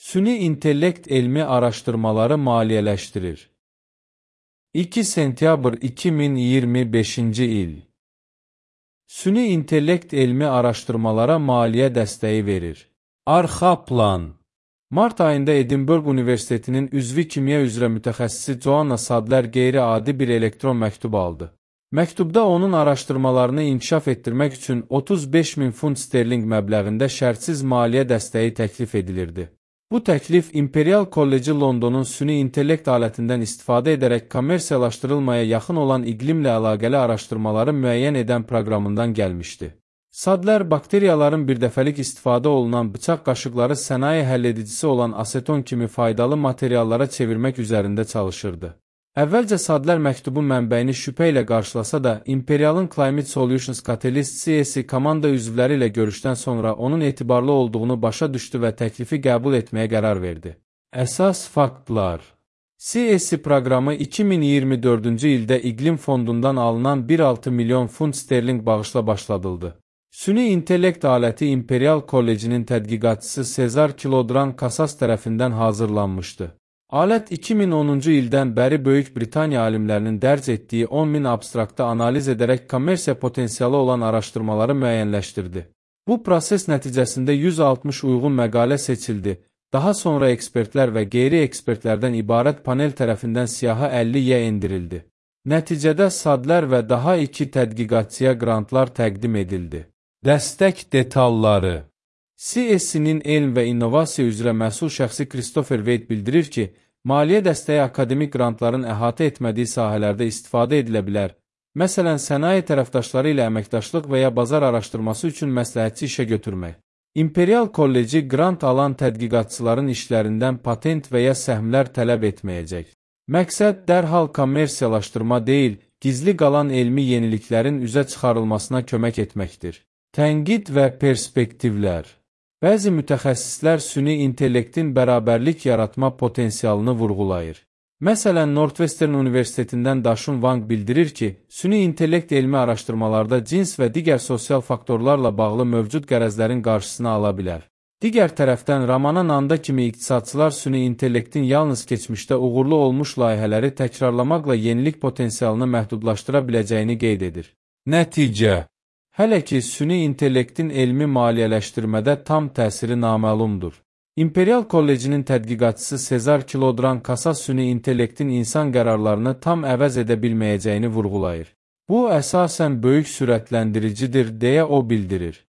Süni intellekt elmi araşdırmaları maliyyələşdirir. 2 sentyabr 2025-ci il. Süni intellekt elmi araşdırmalara maliyyə dəstəyi verir. Arxa plan. Mart ayında Edinburgh Universitetinin üzvi kimya üzrə mütəxəssisi Joanna Sadler qeyri-adi bir elektron məktub aldı. Məktubda onun araşdırmalarını inkişaf etdirmək üçün 35.000 funt sterling məbləğində şərtsiz maliyyə dəstəyi təklif edilirdi. Bu təklif İmperial Kolleci Londonun süni intellekt alətindən istifadə edərək kommersiyalaşdırılmaya yaxın olan iqlimlə əlaqəli araşdırmaları müəyyən edən proqramından gəlmişdi. Sadler bakteriyaların birdəfəlik istifadə olunan bıçaq qaşıqları sənaye həlledicisi olan aseton kimi faydalı materiallara çevirmək üzərində çalışırdı. Əvvəlcə Sadler məktubun mənbəyini şübhə ilə qarşılasa da, Imperial'ın Climate Solutions Catalyst CS komanda üzvləri ilə görüşdən sonra onun etibarlı olduğunu başa düşdü və təklifi qəbul etməyə qərar verdi. Əsas faktlar. CS proqramı 2024-cü ildə İqlim Fondundan alınan 1,6 milyon funt sterling bağışla başladıldı. Süni intellekt aləti Imperial Kollecinin tədqiqatçısı Cezar Kilodran Casas tərəfindən hazırlanmışdı. Alət 2010-cu ildən bəri Böyük Britaniya alimlərinin dərc etdiyi 10.000 abstraktı analiz edərək kommersiya potensialı olan araşdırmaları müəyyənləşdirdi. Bu proses nəticəsində 160 uyğun məqalə seçildi. Daha sonra ekspertlər və qeyri-ekspertlərdən ibarət panel tərəfindən siyahı 50-yə endirildi. Nəticədə Sadler və daha 2 tədqiqatçıya qrantlar təqdim edildi. Dəstək detalları. CS-nin elm və innovasiya üzrə məsul şəxsi Christopher Wade bildirir ki, maliyyə dəstəyi akademik qrantların əhatə etmədiyi sahələrdə istifadə edilə bilər. Məsələn, sənaye tərəfdaşları ilə əməkdaşlıq və ya bazar araşdırması üçün məsləhətçi işə götürmək. Imperial Kolleci qrant alan tədqiqatçıların işlərindən patent və ya səhmlər tələb etməyəcək. Məqsəd dərhal kommersiyalaşdırma deyil, gizli qalan elmi yeniliklərin üzə çıxarılmasına kömək etməkdir. Tənqid və perspektivlər. Bəzi mütəxəssislər süni intellektin bərabərlik yaratma potensialını vurğulayır. Məsələn, Northwestern Universitetindən Daşun Wang bildirir ki, süni intellekt elmi araşdırmalarda cins və digər sosial faktorlarla bağlı mövcud qərəzlərin qarşısını ala bilər. Digər tərəfdən, Ramana Nanda kimi iqtisadçılar süni intellektin yalnız keçmişdə uğurlu olmuş layihələri təkrarlamaqla yenilik potensialını məhdudlaşdıra biləcəyini qeyd edir. Nəticə. Hələ ki, süni intellektin elmi maliyyələşdirmədə tam təsiri naməlumdur. Imperial Kollecinin tədqiqatçısı Cezar Kilodran Casas süni intellektin insan qərarlarını tam əvəz edə bilməyəcəyini vurğulayır. Bu, əsasən böyük sürətləndiricidir, deyə o bildirir.